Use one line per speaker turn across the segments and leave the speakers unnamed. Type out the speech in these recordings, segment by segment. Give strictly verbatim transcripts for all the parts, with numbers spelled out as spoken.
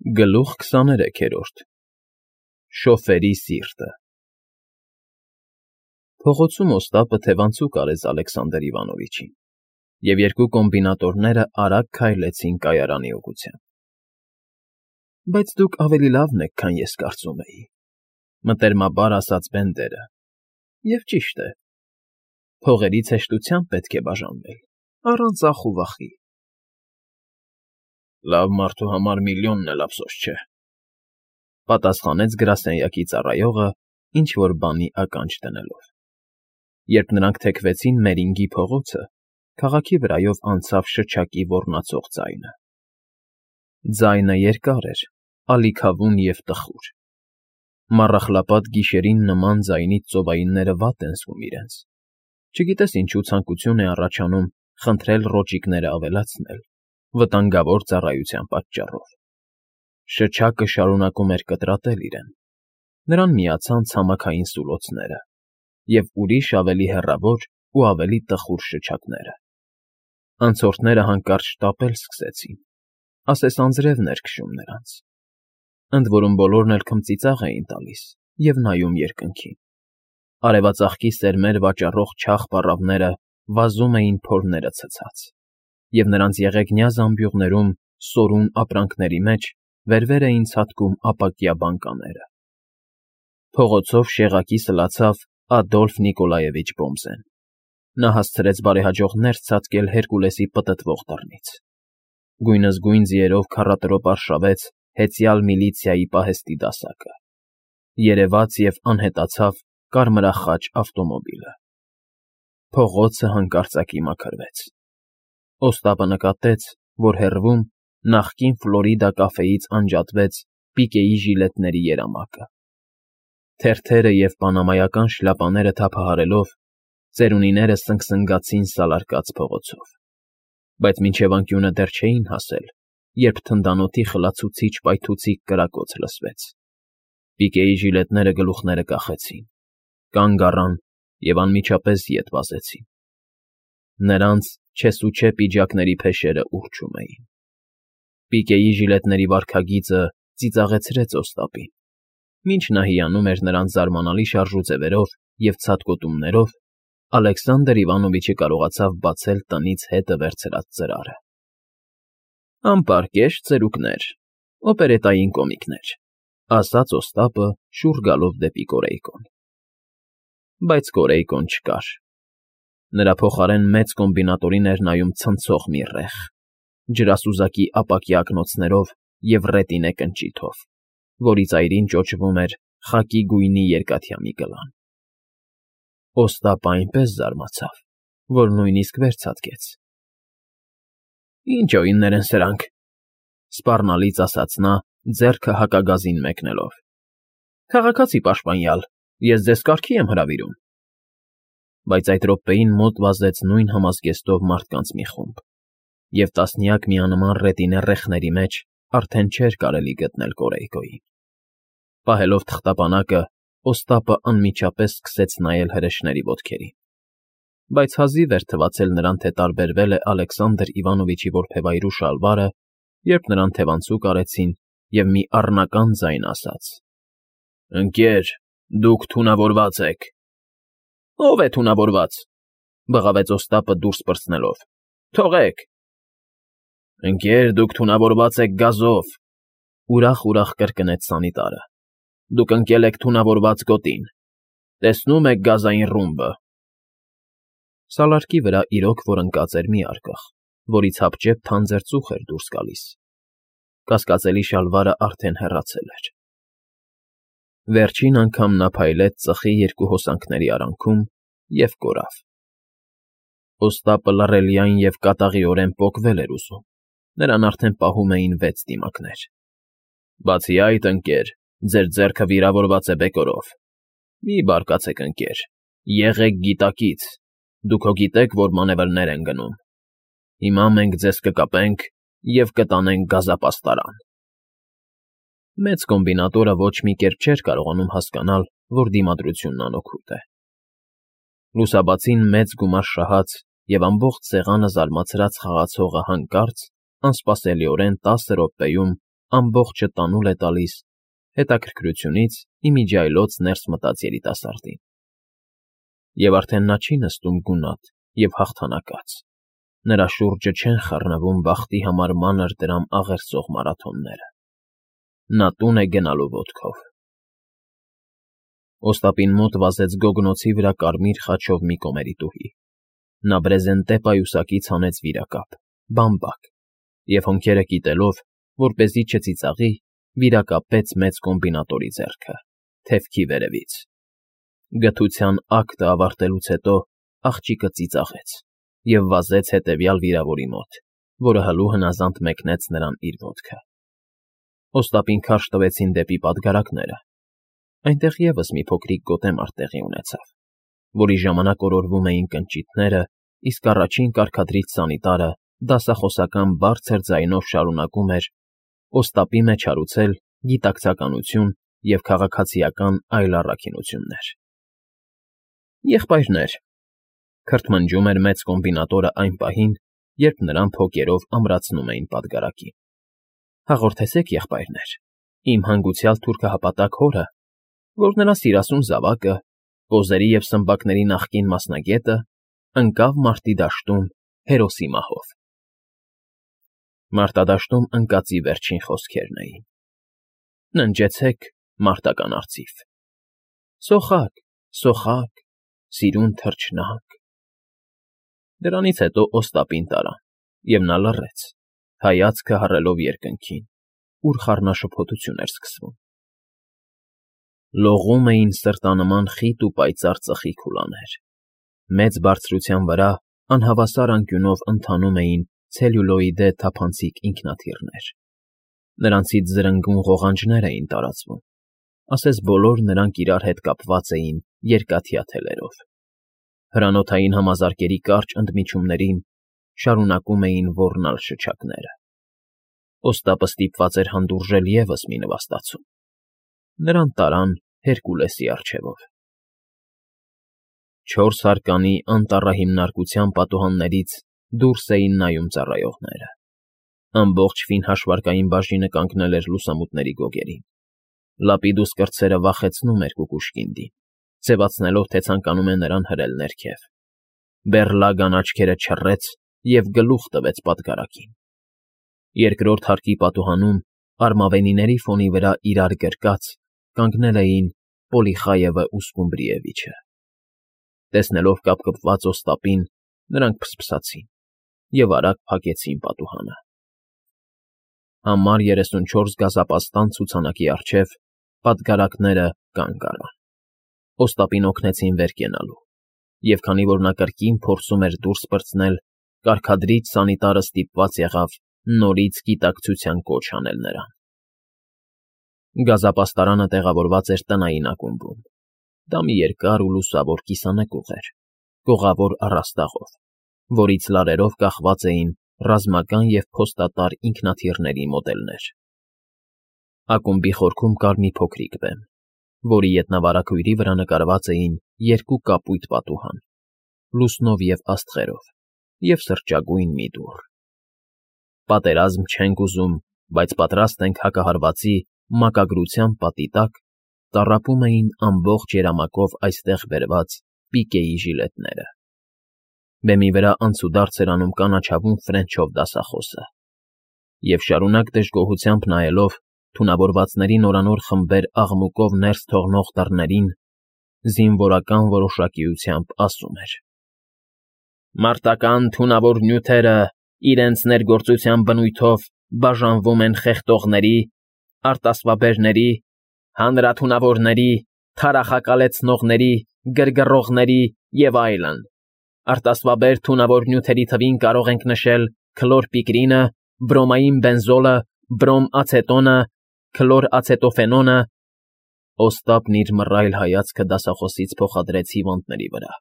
Գլուխ քսաներեքերորդ Շոֆերի սիրտը Փողոցում Օստապը թևանցուկ արեց Ալեքսանդր Իվանովիչին, և երկու կոմբինատորները արագ քայլեցին կայարանի ուղղությամբ։ ֊ Բայց դուք ավելի լավն եք, քան ես կարծում էի,֊ մտերմաբար ասաց Բենդերը,֊ և ճիշտ է, փողերից հեշտությամբ պետք է բաժանվել, առանց ախ ու վախի։ ֊ Լավ մարդու համար միլիոնն էլ ափսոս չէ,֊ պատասխանեց գրասենյակի ծառայողը, ինչ֊որ բանի ականջ դնելով։ Երբ նրանք թեքվեցին Մերինգի փողոցը, քաղաքի վրայով անցավ շչակի ոռնացող ձայնը. ձայնը երկար էր, ալիքավուն և տխուր։ Մառախլապատ գիշերին նման ձայնից ծովայինները վատ են զգում իրենց, չգիտես ինչու ցանկություն է առաջանում խնդրել ռոճիկները ավելացնել, վտանգավոր ծառայության պատճառով։ Շչակը շարունակում էր կտրատել իրեն, նրան միացան ցամաքային սուլոցները և ուրիշ ավելի հեռավոր ու ավելի տխուր շչակները։ Անցորդները հանկարծ շտապել սկսեցին, ասես անձրևն էր քշում նրանց, ընդ որում բոլորն էլ քմծիծաղ էին տալիս և նայում երկնքին։ Արևածաղկի սերմեր վաճառող չաղ պառավները վազում էին փորները ցցած, և նրանց եղեգնյա զամբյուղներում սորուն ապրանքների մեջ վեր֊վեր էին ցատկում ապակյա բանկաները։ Փողոցով շեղակի սլացավ Ադոլֆ Նիկոլաևիչ Բոմսեն։ Նա հասցրեց բարեհաջող ներս ցատկել Հերկուլեսի պտտվող դռնից։ Գույնզգույն ձիերով քառատրոպ արշավեց հեծյալ միլիցիայի պահեստի դասակը։ Երևաց և անհետացավ կարմրախաչ ավտոմոբիլը։ Փողոցը հանկարծակի մաքրվեց։ Օստապը նկատեց, որ հեռվում նախկին Ֆլորիդա կաֆեից անջատվեց պիկեի ժիլետների երամակը։ Թերթերը և պանամայական շլյապաները թափահարելով, ծերունիները սնգսնգացին սալարկած փողոցով։ Բայց մինչև անկյունը դեռ չէին հասել, երբ թնդանոթի խլացուցիչ պայթուցիկ կրակոց լսվեց։ Պիկեի ժիլետները գլուխները կախեցին, կանգ առան և անմիջապես ետ վազեցին։ Նրանց չեսուչե պիջակների փեշերը ուռչում էին։ Պիկեի ժիլետների վարքագիծը ծիծաղեցրեց Օստապին։ Մինչ նա հիանում էր նրանց զարմանալի շարժուձևերով և ցատկոտումներով, Ալեքսանդր Իվանովիչը կարողացավ բացել տնից հետը վերցրած ծրարը։ ֊ Անպարկեշտ ծերուկներ, օպերետային կոմիկներ,֊ ասաց Օստապը, շուռ գալով դեպի Կորեյկոն։ Բայց Կորեյկոն չկար։ Նրա փոխարեն մեծ կոմբինատորին էր նայում ցնցող մի ռեխ՝ ջրասուզակի ապակյա ակնոցներով և ռետինե կնճիթով, որի ծայրին ճոճվում էր խակի գույնի երկաթյա մի գլան։ Օստապը այնպես զարմացավ, որ նույնիսկ վեր ցատկեց։ ֊ Ինչ օիններ են սրանք,֊ սպառնալից ասաց նա, ձեռքը հակագազին մեկնելով։ ֊ Քաղաքացի պաշտպանյալ, ես ձեզ կարգի եմ հրավիրում։ Բայց այդ րոպեին մոտ վազեց նույն համազգեստով մարդկանց մի խումբ, և տասնյակ միանման ռետինե ռեխների մեջ արդեն չէր կարելի գտնել Կորեյկոյին։ Պահելով թղթապանակը, Օստապը անմիջապես սկսեց նայել հրեշների ոտքերին։ Բայց հազիվ էր թվացել նրան, թե տարբերվել է Ալեքսանդր Իվանովիչի որբևայրու շալվարը, երբ նրան թևանցուկ արեցին, և մի առնական ձայն ասաց. «Ընկեր, դուք թունավորված եք»։ ֊ Ո՞վ է թունավորված,֊ բղավեց Օստապը դուրս պրծնելով,֊ թողեք։ ֊ Ընկեր, դուք թունավորված եք գազով,֊ ուրախ֊ուրախ կրկնեց սանիտարը,֊ դուք ընկել եք թունավորված գոտին։ Տեսնո՞ւմ եք գազային ռումբը։ Սալարկի վրա իրոք որ ընկած էր մի արկղ, որից հապճեպ թանձր ծուխ էր դուրս գալիս։ Կասկածելի շալվարը արդեն հեռացել էր։ Վերջին անգամ նա փայլեց ծխի երկու հոսանքների արանքում և կորավ։ Օստապը լռելիայն և կատաղիորեն պոկվել էր ուզում, նրան արդեն պահում էին վեց դիմակներ։ ֊ Բացի այդ, ընկեր, ձեր ձեռքը վիրավորված է բեկորով։ Մի բարկացեք, ընկեր, եղեք գիտակից, դուք հո գիտեք, որ մանևրներ են գնում։ Հիմա մենք ձեզ կկապենք և կտանենք գազապաստարան։ Մեծ կոմբինատորը ոչ մի կերպ չէր կարողանում հասկանալ, որ դիմադրությունն անօգուտ է։ Լուսաբացին մեծ գումար շահած և ամբողջ սեղանը զարմացրած խաղացողը հանկարծ, անսպասելիորեն տասը րոպեում ամբողջը տանուլ է տալիս, հետաքրքրությունից ի միջի այլոց ներս մտած երիտասարդին։ Եվ արդեն նա չի նստում գունատ և հաղթանակած, նրա շուրջը չեն խռնվում բախտի համար մանր դրամ աղերսող մարաթոնները։ Նա տուն է գնալու ոտքով։ Օստապին մոտ վազեց գոգնոցի վրա կարմիր խաչով մի կոմերիտուհի։ Նա բրեզենտե պայուսակից հանեց վիրակապ, բամբակ, և հոնքերը կիտելով, որպեսզի չծիծաղի, վիրակապեց մեծ կոմբինատորի ձեռքը, թևքի վերևից։ Գթության ակտը ավարտելուց հետո աղջիկը ծիծաղեց և վազեց հետևյալ վիրավորի մոտ, որը հլու հնազանդ մեկնեց նրան իր ոտքը։ Օստապին քարշ տվեցին դեպի պատգարակները։ Այնտեղ ևս մի փոքրիկ գոտեմարտ տեղի ունեցավ, որի ժամանակ օրորվում էին կնճիթները, իսկ առաջին կարգադրիչ սանիտարը դասախոսական բարձր ձայնով շարունակում էր Օստապի մեջ հարուցել գիտակցականություն և քաղաքացիական այլ առաքինություններ։ Եղբայրներ, քրթմնջում էր մեծ կոմբինատորը այն պահին, երբ նրան փոկերով ամրացնում էին պատգարակին։ Հաղորդեցեք, եղբայրներ, իմ հանգուցյալ թուրքահպատակ հորը, որ նրա սիրասուն զավակը, կոզերի և սմբակների նախկին մասնագետը, ընկավ մարտի դաշտում հերոսի մահով։ Մարտադաշտում ընկածի վերջին խոսքերն էին. Ննջեցեք, մարտական արծիվ, սոխաք, սոխաք, սիրուն թռչնակ… Դրանից հետո Օստապին տարան, և նա լռեց, հայացքը հառելով երկնքին, ուր խառնաշփոթություն էր սկսվում։ Լողում էին սրտանման խիտ ու պայծառ ծխի քուլաներ։ Մեծ բարձրության վրա անհավասար անկյունով ընթանում էին ցելյուլոիդե թափանցիկ ինքնաթիռներ։ Նրանցից զրնգուն ղողանջներ էին տարածվում, ասես բոլոր նրանք իրար հետ կապված էին երկաթյա թելերով։ Հրանոթային համազարկերի կարճ ընդմիջումներին շարունակում էին ոռնալ շչակները։ Օստապը ստիպված էր հանդուրժել ևս մի նվաստացում։ Նրան տարան Հերկուլեսի առջևով։ Չորս հարկանի անտառահիմնարկության պատուհաններից դուրս էին նայում ծառայողները։ Ամբողջ ֆին հաշվարկային բաժինը կանգնել էր լուսամուտների գոգերին։ Լապիդուս կրտսերը վախեցնում էր Կուկուշկինդին, ձևացնելով, թե ցանկանում է նրան հրել ներքև։ Բեռլագան աչքերը չռեց և գլուխ տվեց պատգարակին։ Երկրորդ հարկի պատուհանում, արմավենիների ֆոնի վրա իրար գրկած, կանգնել էին Պոլիխայևը ու Սկումբրիևիչը։ Տեսնելով կապկպված Օստապին, նրանք փսփսացին և արագ փակեցին պատուհանը։ Համար երեսունչորս գազապաստան ցուցանակի առջև պատգարակները կանգ առան։ Օստապին օգնեցին վեր կենալու, և քանի որ նա կրկին փորձում էր դուրս պրծնել, կարգադրիչ սանիտարը ստիպված եղավ նորից գիտակցության կոչ անել նրան։ Գազապաստարանը տեղավորված էր տնային ակումբում։ Դա մի երկար ու լուսավոր կիսանկյուղ էր, կողավոր առաստաղով, որից լարերով կախված էին ռազմական և փոստատար ինքնաթիռների մոդելներ։ Ակումբի խորքում կար մի փոքրիկ բեմ, որի ետնավարագույրի վրա նկարված էին երկու կապույտ պատուհան՝ լուսնով և աստղերով, և սրճագույն մի դուռ։ Պատերազմ չենք ուզում, բայց պատրաստ ենք հակահարվածի մակագրության պատի տակ տառապում էին ամբողջ երամակով այստեղ բերված պիկեի ժիլետները։ Բեմի վրա անցուդարձ էր անում կանաչավուն ֆրենչով դասախոսը, և շարունակ դժգոհությամբ նայելով թունավորվածների նորանոր խմբեր աղմուկով ներս թողնող դռներին, զինվորական որոշակիությամբ ասում էր. «Մարտական թունավոր նյութերը իրենց ներգործության բնույթով բաժանվում են խեղդողների, արտասվաբերների, հանրաթունավորների, թարախակալեցնողների, գրգռողների և այլն։ Արտասվաբեր թունավոր նյութերի թվին կարող ենք նշել քլորպիկրինը, բրոմային բենզոլը, բրոմ ացետոնը, քլոր ացետոֆենոնը…» Օստապն իր մռայլ հայացքը դասախոսից փոխադրեց հիվանդների վրա։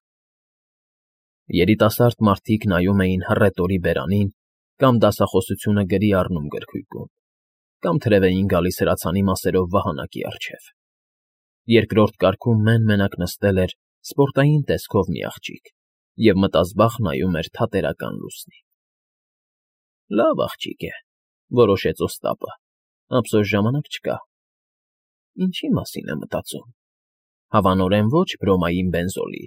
Երիտասարդ մարդիկ նայում էին հռետորի բերանին կամ դասախոսությունը գրի առնում գրքույկում, կամ թրև էին գալիս հրացանի մասերով վահանակի առջև։ Երկրորդ կարգում մեն֊մենակ նստել էր սպորտային տեսքով մի աղջիկ և մտազբաղ նայում էր թատերական լուսնի։ «Լավ աղջիկ է», որոշեց Օստապը, Ափսոս ժամանակ չկա։ Ինչի մասին է մտածում։ Հավանորեն ոչ բրոմային բենզոլի։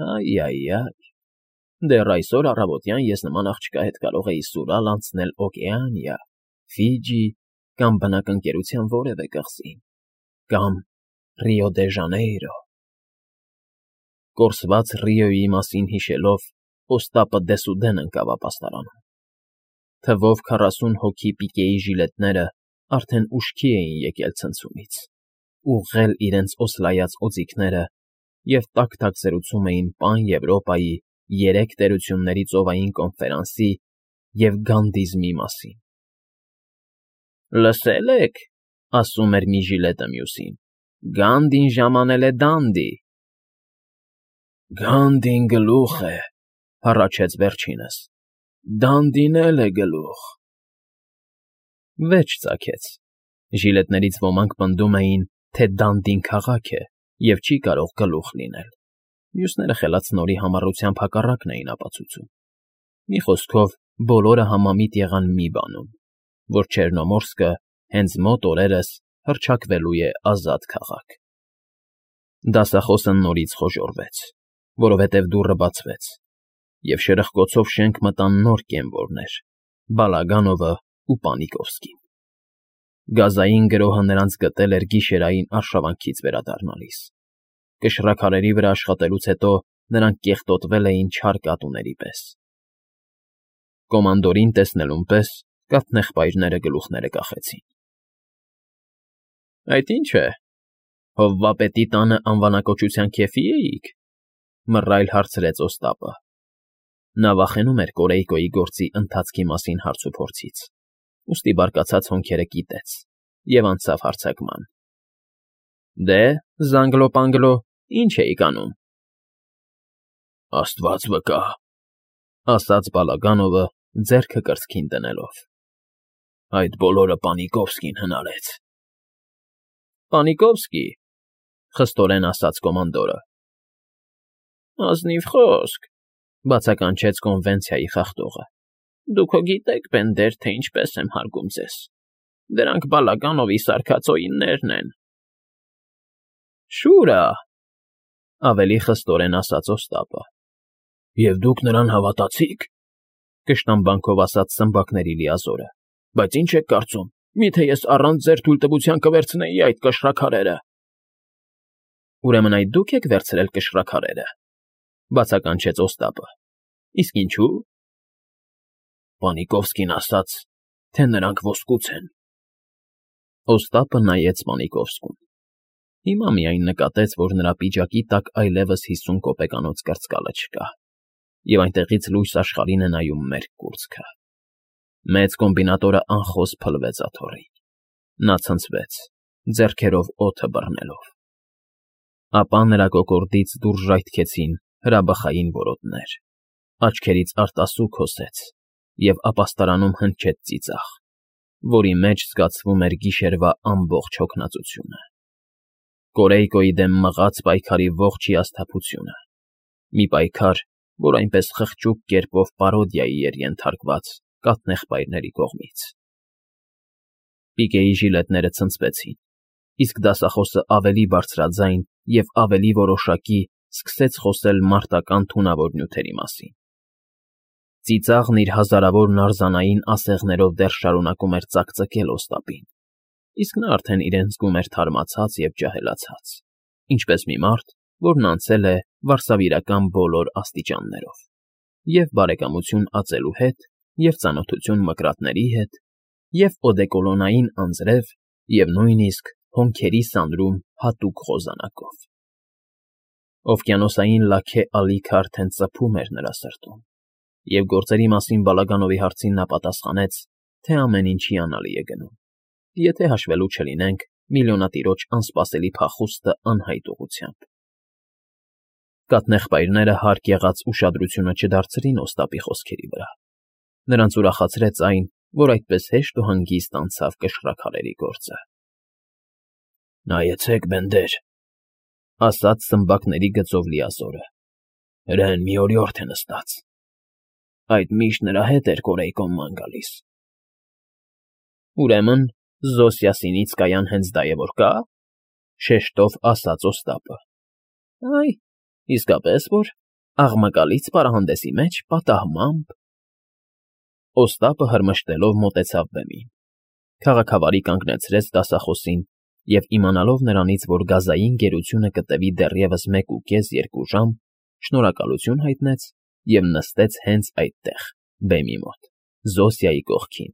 Այ֊այ֊այ, դեռ այսօր առավոտյան ես նման աղջկա հետ կարող էի սուրալ անցնել Օկեանիա, Ֆիջի կամ բնակընկերության որևէ կղզի, կամ Ռիո դե Ժանեյրո… Կորսված Ռիոյի մասին հիշելով՝ Օստապը դեսուդեն ընկավ ապաստարանում. թվով քառասուն հոգի պիկեի ժիլետները արդեն ուշքի էին եկել ցնցումից, ուղղել իրենց օսլայած օձիքները և տաք֊տաք զրուցում էին Պան Եվրոպայի երեք տերությունների ծովային կոնֆերանսի և գանդիզմի մասին։ ֊ Լսե՞լ եք,֊ ասում էր մի ժիլետը մյուսին,֊ Գանդին ժամանել է դանդի։ ֊ Գանդին գլուխ է,֊ հառաչեց վերջինս,֊ դանդին էլ է գլուխ… Վեճ ծագեց. ժիլետներից ոմանք պնդում էին, թե դանդին քաղաք է և չի կարող գլուխ լինել, մյուսները խելացնորի համառությամբ հակառակն էին ապացուցում։ Մի խոսքով, բոլորը համամիտ եղան մի բանում, որ Չեռնոմորսկը հենց մոտ օրերս հռչակվելու է ազատ քաղաք։ Դասախոսը նորից խոժոռվեց, որովհետև դուռը բացվեց, և շրխկոցով շենք մտան նոր կեմվորներ՝ Բալագանովն ու Պանիկովսկին։ Գազային գրոհը նրանց գտել էր գիշերային արշավանքից վերադառնալիս։ Կշռաքարերի վրա աշխատելուց հետո նրանք կեղտոտվել էին չար կատուների պես։ Կոմանդորին տեսնելուն պես կաթնեղբայրները գլուխները կախեցին։ ֊ Այդ ի՞նչ է, հովվապետի տանը անվանակոչության քեֆի էիք,֊ մռայլ հարցրեց Օստապը։ Նա վախենում էր Կորեյկոյի գործի ընթացքի մասին հարցուփորձից, ուստի բարկացած հոնքերը կիտեց և անցավ հարձակման։ ֊ Դե, Զանգլո֊Պանգլո, ի՞նչ էիք անում։ ֊ Աստված վկա,֊ ասաց Բալագանովը ձեռքը կրծքին դնելով,֊ այդ բոլորը Պանիկովսկին հնարեց։ ֊ Պանիկովսկի,֊ խստորեն ասաց կոմանդորը։ ֊ Ազնիվ խոսք,֊ բացականչեց կոնվենցիայի խախտողը,֊ դուք հո գիտեք, պենդեր, թե ինչպես եմ հարգում ձեզ. դրանք Բալագանովի սարքած օիններն են։ ֊ Շուրա,֊ ավելի խստորեն ասաց Օստապը։ ֊ Եվ դուք նրան հավատացի՞ք,֊ կշտամբանքով ասաց սմբակների լիազորը։ ֊ Բայց ի՞նչ եք կարծում, միթե ես առանց ձեր թույլտվության կվերցնեի այդ կշռաքարերը։ ֊ Ուրեմն այդ դուք եք վերցրել կշռաքարերը,֊ բացականչեց Օստապը։ ֊ Իսկ ինչու՞։ ֊ Պանիկովսկին ասաց, թե նրանք ոսկուց են։ Օստապը նայեց Պանիկովսկուն։ Հիմա միայն նկատեց, որ նրա պիջակի տակ այլևս հիսուն կոպեկանոց կրծկալը չկա, և այնտեղից լույս աշխարհին է նայում մերկ կուրծքը։ Մեծ կոմբինատորը անխոս փլվեց աթոռին։ Նա ցնցվեց, ձեռքերով օդը բռնելով։ Ապա նրա կոկորդից դուրս ժայթքեցին հրաբխային որոտներ, աչքերից արտասուք հոսեց և ապաստարանում հնչեց ծիծաղ, որի մեջ զգացվում էր գիշերվա ամբողջ հոգնածությունը։ Կորեյկոյի դեմ մղած պայքարի ողջ հիասթափությունը, մի պայքար, որ այնպես խղճուկ կերպով պարոդիայի էր ենթարկված կաթնեղբայրների կողմից։ Պիկեի ժիլետները ցնցվեցին, իսկ դասախոսը ավելի բարձրաձայն և ավելի որոշակի սկսեց խոսել մարտական թունավոր նյութերի մասին։ Ծիծաղն իր հազարավոր նարզանային ասեղներով դեռ շարունակում էր ծակծկել Օստապին, իսկ նա արդեն իրեն զգում էր թարմացած և ջահելացած, ինչպես մի մարդ, որն անցել է վարսավիրական բոլոր աստիճաններով, և՛ բարեկամություն ածելու հետ, և՛ ծանոթություն մկրատների հետ, և՛ օդեկոլոնային անձրև, և նույնիսկ հոնքերի սանրում հատուկ խոզանակով։ Օվկիանոսային լաքե ալիքը արդեն ծփում էր նրա սրտում, և գործերի մասին Բալագանովի հարցին նա պատասխանեց, թե ամեն ինչ հիանալի է գնում, եթե հաշվելու չլինենք միլիոնատիրոջ անսպասելի փախուստը անհայտ ուղղությամբ։ Կաթնեղբայրները հարկ եղած ուշադրությունը չդարձրին Օստապի խոսքերի վրա. նրանց ուրախացրեց այն, որ այդպես հեշտ ու հանգիստ անցավ կշռաքարերի գործը։ ֊ Նայեցեք, բենդեր,֊ ասաց սմբակների գծով լիազորը,֊ հրեն մի օրիորդ է նստած… Այդ միշտ նրա հետ էր Կորեյկոն ման գալիս։ Ուրեմն Զոսիասինիցկայան հենց դա է որ կա՞, ֊ շեշտով ասաց Օստապը։ ֊ Այ, իսկապես որ, աղմկալից պարանհանդեսի մեջ պատահմամբ… Օստապը հրմշտելով մոտեցավ բեմին, քաղաքավարի կանգնեցրեց դասախոսին և, իմանալով նրանից, որ գազային գերությունը կտևի դեռևս մեկուկես֊երկու ժամ, շնորհակալություն հայտնեց և նստեց հենց այդտեղ, բեմի մոտ, Զոսիայի կողքին։